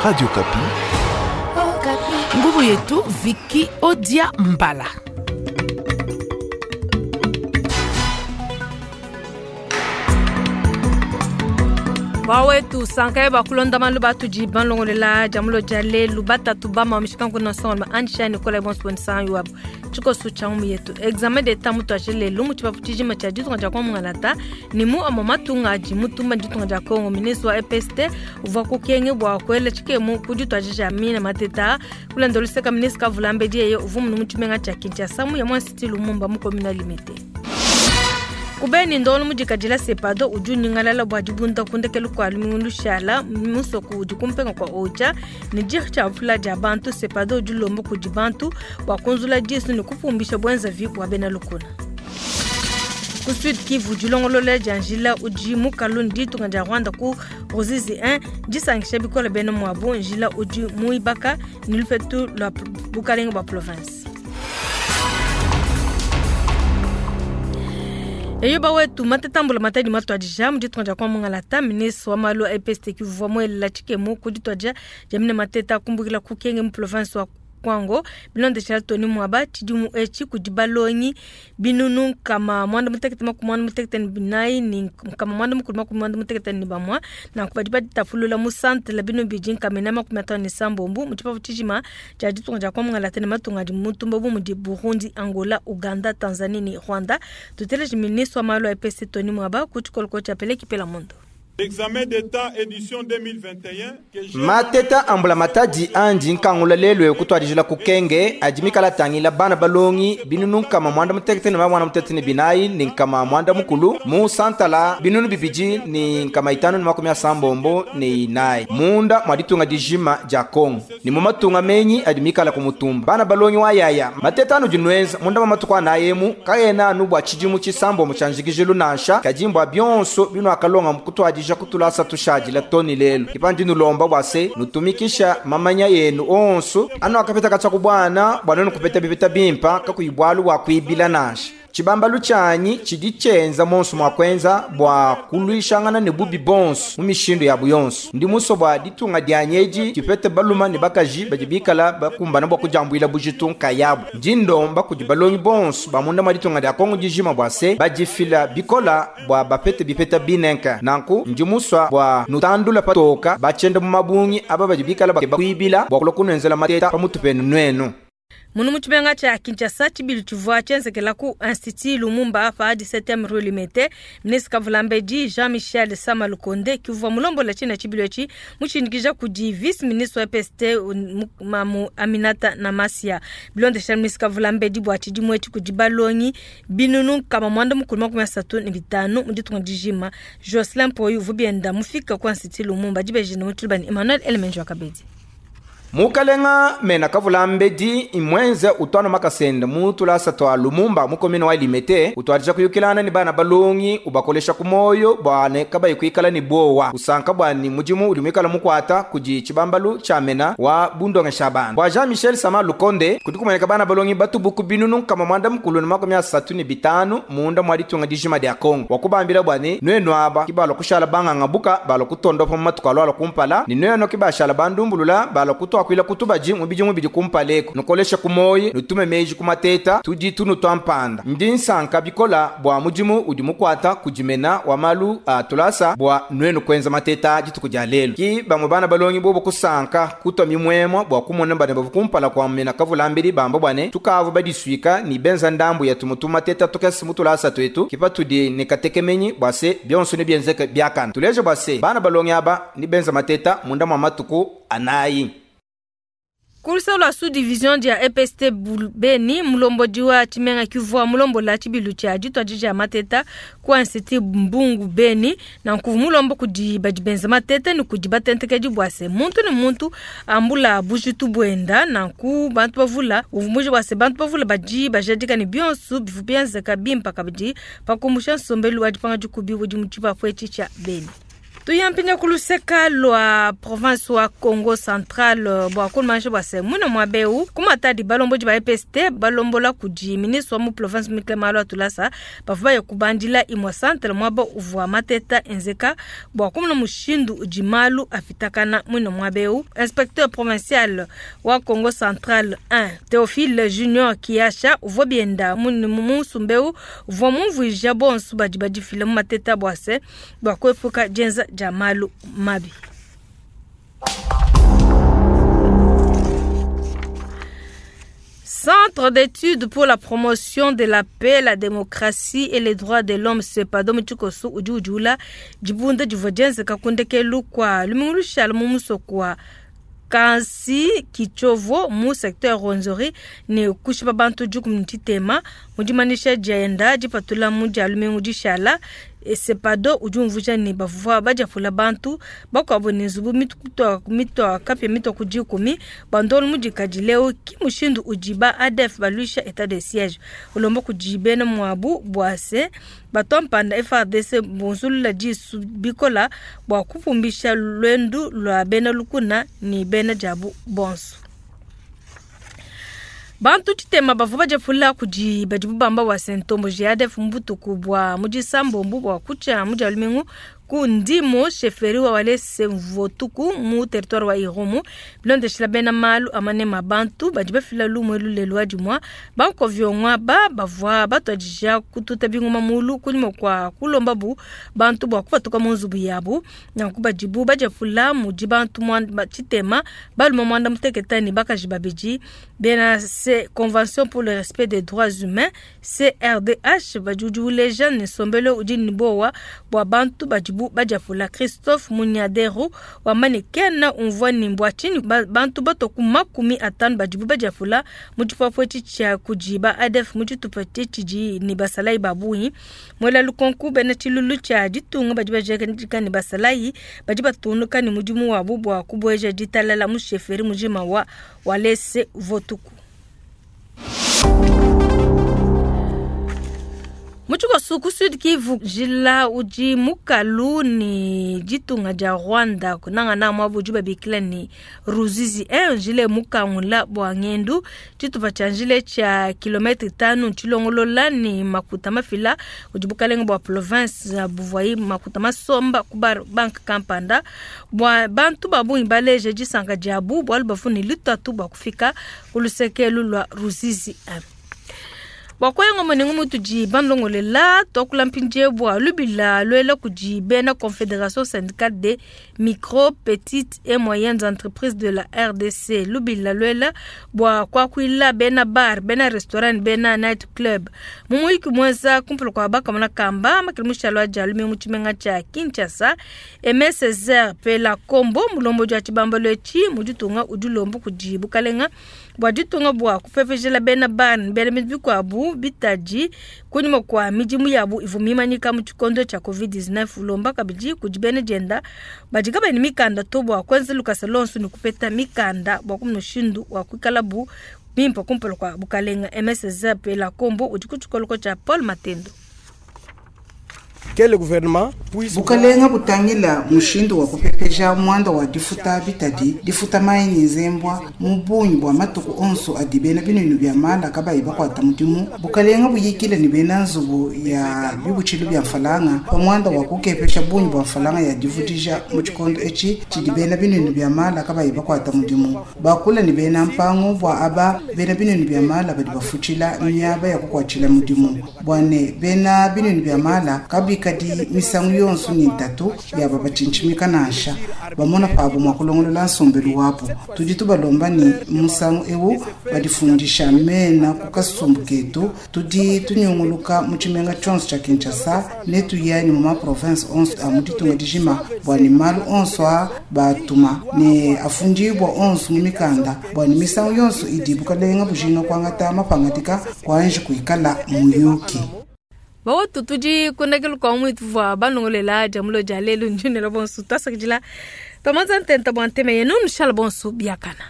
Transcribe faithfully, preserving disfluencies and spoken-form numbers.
Radio Kapi. Nguvu yetu Viki Odia Mbala. Bawetu sankaye bakulonda malu batudi banlongolela jamulo jale lubatatu bama mishikangu na songo ma ansha Nicolas Bonso san yuabu chikosu cha yetu examen d'etat mutu achele lumu chibafu chijima cha ditunga dia kwamungalata ni mu ama matunga adi mutumba ditunga dia Kongo ministre wa E P S T uvua kukenge bua kuela tshikemu ku dituadija mina mateta kulanda luseka ministre Kavulambedi yeye uvua munu mu tshimenga tshia Kinshasa mu ya mwa Lumumba mu commune Limete. Kubeni ndolo mudikadila sepado udi unyingalala bua dibunda kundekelu kua lumingu lushala musoku udi kumpenga kua ocha ne diri tshia vula dia bantu. Sepado udi ulomba kudi bantu bua kunzula disu ne kupumbisha bwenzavi bua bena lukuna. Ku Sud Kivu, dilongolola dia njila udi mukalu ne ditunga dia Rwanda ku Ruzizi un disangisha bikole bena muabu. Njila udi muibaka ne lupetu lua bukalenge bua province. Eyo bawetu matetambula matadi matuadija mu ditunga dia kwamungalata. Ministre wa malu a E P S T kivua muelela tshikemu ku dituadija dia mine mateta kumbukila ku kenge mu province wa Kwango. Bilondeshela Tony Mwaba, tshidimu etshi kudi balongi binunu nkama mwanda mutekete makumi mwanda mutekete ne binayi ne nkama mwanda mukulu makumi mwanda mutekete ne bamwa. Nanku badi baditapulula mu santere binu bidi nkama ina makumi atanu ne sambombu mu tshipapu tshijima tshia ditunga dia kwamungalata ne matunga adi mutumba bu mudi Burundi, Angola, Uganda, Tanzanie ne Rwanda. Tuteleje ministre wa malu a E P S Tony Mwaba ku tshikoloko tshia Peleki Pela Mondo. L'examen d'État édition deux mille vingt et un que j'ai Mateta ambula matadi andi nkangula lelo kutwadijila kukenge adi mikala tangila bana balongi binunu nkama mwanda mutekete ne mwana mutekete ne binayi ni nkama mwanda mukulu mu santala binunu bibidi ni nkama itanu ni makumi asambombo ne inayi munda mwaditunga dijima dia Kongo ni mu matunga menyi adi mikala kumutumba. Bana balongi wa yaya mateta anu dinwenza munda mwa matuku anayemu kayena anu bua tshidimu tshisambombo tshia njikijilu nansha kadimbwa bionso binu akalonga mukutwadija kutulasa tushadila toni lelo ipandi nulomba bwase nutumikisha mamanya yenu onso anu akapeta katsa kubwana bwana nukupeta bipeta bimpa kakuyibwalu bwa kuibila nansha. Tshibambalu tshanyi tshidi tshenza monso mwa kwenza bua kulwishangana ne bubi bonso mu mishindu yabu yonso. Ndi muso bua ditunga dianyeji tshipete baluma ne bakaji badi bikala bakumbana bua kujambuila bujitu nkayabu. Ndi ndomba kudi balongi bonso bamunda mwa ditunga dia Kongo dijima bua se badifila bikola bua bapete bipeta binenka. Nanku ndi muswa bua nutandula patoka bachenda mu mabungi aba badi bikala bakeba kuibila bua kulua kunwenzela mateta pamutu penu nwenu. Munu mu tshimenga tshia Kinshasa, tshibilu tshivua tshienzekela ku Institut Lumumba pa dix-septième rue Limete. Ministre Kavulambedi Jean-Michel Sama Lukonde kivua mulombola tshina tshibilu etshi mutshindikija kudi vice ministre wa E P S T Mamu Aminata Namasia. Bilondeshela ministre Kavulambedi, bua tshidimu etshi kudi balongi binunu nkama mwanda mukulu makumi asatu ne bitanu mu ditunga dijima. Jocelyn Mpoyi uvua bienda mufika ku Institut Lumumba dibejene mu tshilubani Emmanuel Elemenjo Wakabedi. Mukalenga mena Kavulambedi imwenze utwana makasenda mutulasa twa Lumumba mukomini wa Limete utwadija kuyukilana ni bana balongi ubakolesha kumoyo bwane kabayi kuikala ni bowa usanka bwani mujimu uli mwikala mukwata kudi tshibambalu tshia mena wa bundongesha bana bwa Jean Michel Sama Lukonde kudi kumoneka bana balongi batubuku binunu kama mwanda mukulu ni makumi asatu ni bitanu munda mwa ditunga dijima dia Kongo wakubambila bwane nwenu aba kibalo kushala banganga buka balo kutondopa mu matuku alwala kumpala ni nweno kibashala bandumbulula balo kutwa kwila kutubaji mubiji mubidi kumpaleko nukolesha kumoyi nutume meji kumateta tudi tunu twa mpanda. Ndi nsanka bikola bua mudimu udi mukwata kudimena wa malu a tulasa bua nwenu kwenza mateta dituku dia lelo ki bamwe bana balongi bobo kusanka kutwa mimwemwa bua kumona bana bavu kumpala kwa mena Kavulambedi bamba bwane tukavu badiswika ni benza ndambu ya tumutu mateta tukasi mutulasa twetu kipa tudi ni katekemenyi bua se bionso ni bienzeke biakana. Tuleje bua se bana balongi aba ni benza mateta munda mwa matuku anayi. Kulisa lwa sous-division dia E P S T Beni, mulombodi wa tshimenga kivua mulombola tshibilu tshia dituadija ya mateta ku Institut Mbungu Beni. Na nkuvu mulombo kudi badi benza mateta ne kudi batentekedi bua se muntu ne muntu ambula bujitu buenda. Nanku bantu bavula uvumuji bua se bantu bavula badi bajadika ne bionso bivu bienzeka bimpa kabidi pakumbusha nsombelu wa dipanga dikubi udi mu tshipapu etshi tshia Beni. Tuyampinja kuluseka lwa province wa Congo Central bwa kulmansha bwa se muna mwabeu kumatadi balombo ba E P S T balombola kudi ministre wa mu province mikle malo atulasa bavuba ya kubandila imwa centre mwaba uvwa mateta enzeka bwa kumuna mushindu ujimalu afitakana muna mwabeu. Inspecteur provincial wa Congo Central un Théophile Junior Kiasha uvwa bienda munu musumbeu uvwa mumvuija bonsu badi badifila mu mateta bwa se bwa kuepuka jenza jamalu mabi. Centre d'études pour la promotion de la paix, la démocratie et les droits de l'homme CEPADO mutshikoso udi ujula dibunda divua dienzeka kundekelu kua lumingu lushala mu musoko wa Kansi Kichovo mu secteur Rwenzori ne kushipa bantu dikumi ne tshitema mu dimanisha dienda dipatula mu dia lumingu dishala. CEPADO udi umvuija ne bavua badiapula bantu bakuabu ne nzubu mitu mitu kapia mitu ku dikumi bandolu mudikadi leo ki mushindu udi ba A D F baluisha état de siège ulomba kudi bena muabu bua se batompanda F R D C bonzulula disu bikola bua kupumbisha lwendu lwa bena lukuna ni bena jabu bonso. Bantu tshitema bavua badiapula kudi badibu bamba wa sentombo G A D F mbutuku bua mudisambombu bua kutshia mudia lumingu ku ndimo sheferi wa walese mvotuku mu territoire wa Irumu bilondeshela bena malu amane mabantu badi bafila lumwe lulelu wa dimwa bankovyongwa ba bavua batwadija kututa bingoma mulu kunyuma kwa kulomba bu bantu bua kupatuka mu nzubu yabu nanku badibu badiapula mudi bantu mwanda tshitema baluma mwanda muteketa ni bakaji babidi bena se Convention pour le respect des droits humains C R D H badi uleja ne sombelo udi ni bowa bua bantu badibu badiapula Christophe Munyadero wa manekena umvua ni mbwa chini bantu batoku makumi atanu badibu badiapula mutshipapwe tshia kujiba A D F mutshitupa tshidi ni basalai babunyi mwela lukonku bena tshilulu tshia ditunga badi bajeka ni basalai badi batunuka ni mudimu wabu bua kubweja ditalala mu sheferi mujima wa walese votuku. Mutshikoso ku Sud Kivu jila udi mukalu ni ditunga dia Rwanda kunanga na mwabu udi babikila ni Ruzizi un jile mukangula bwa ngendu tshitupa tshia njile tshia kilometre tanu tshilongolola ni makuta mafila udi bukalenga bwa province ya Buvai makuta masomba ku bank kampanda bwa bantu babungi baleje disanka diabu bwalu bafuni lutatu bwa kufika kulusekelu lwa Ruzizi un. Wakwengo mwenengu mutu ji bandongolela tokula mpinje bwa lubila lwela kuji bena Confédération syndicale des micro, petites et moyennes entreprises de la R D C lubila lwela bwa kwa kuila bena bar bena restaurant bena night club mumuiki mwenza kumpula kwa baka mwana kamba makilimusha lwa jalume muchimenga cha Kinshasa M Césaire pela kombo mulombo jwa chibamba lwechi mujutunga udulombo kuji bukalenga bwa ditunga bwa kupepejela bena bar bena midikwabu bitaji kunyuma kwa midimu yabu ivumimanyika mu tshikondo tshia covid dix-neuf ulomba kabidi kudi bena dienda badi kabeni mikanda to bua kuenza lukasa lonso ni kupeta mikanda bua kumushindu wa kuikala bu bimpa kumpala kwa bukalenga M S Z P la kombo udi ku tshikoloko tshia Paul Matendo. Quel gouvernement puisse bukalenga butangila mushindu wa kupepeja mwanda wa difuta bitadi difuta mayi nzembwa mu bunyi bwa matuku onso adi bena binunu bya mala kabayi bakwata mudimu bukalenga buyikile ni bena nzubu ya bibutshilu bya mfalanga pa mwanda wa kukepesha bunyi bwa mfalanga ya divudija mu tshikondo etshi tshidi bena binunu bya mala kabayi bakwata mudimu bakula ni bena mpango bwa aba bena binunu bya mala badi bafutshila miaba ya kukwatshila mudimu bwane bena binunu bya mala kabi kadi misangu yonso ni ntatu ya babacinchimika nansha bamona pabo mwakulongolola nsombelu wapo tudi tubalomba ni musangu ewu badifundisha mena ku kasumbu ketu tudi tunyunguluka mu tshimenga tshionso tshia Kinshasa ne tuyani mu ma province onso a mu ditunga dijima bua ne malu onso a batuma ne afundibwa onso mu mikanda bua ne misangu yonso idi bukalenga bujinga kuangata mapangadika kuanji kuikala muyuki. Bawo tudi kundakelu kwa mwitu vwa banongolela jamulo jalelu njunela bonsu tasakijila pamanza ntenta bwa nteme yenu nushala bonsu biakana.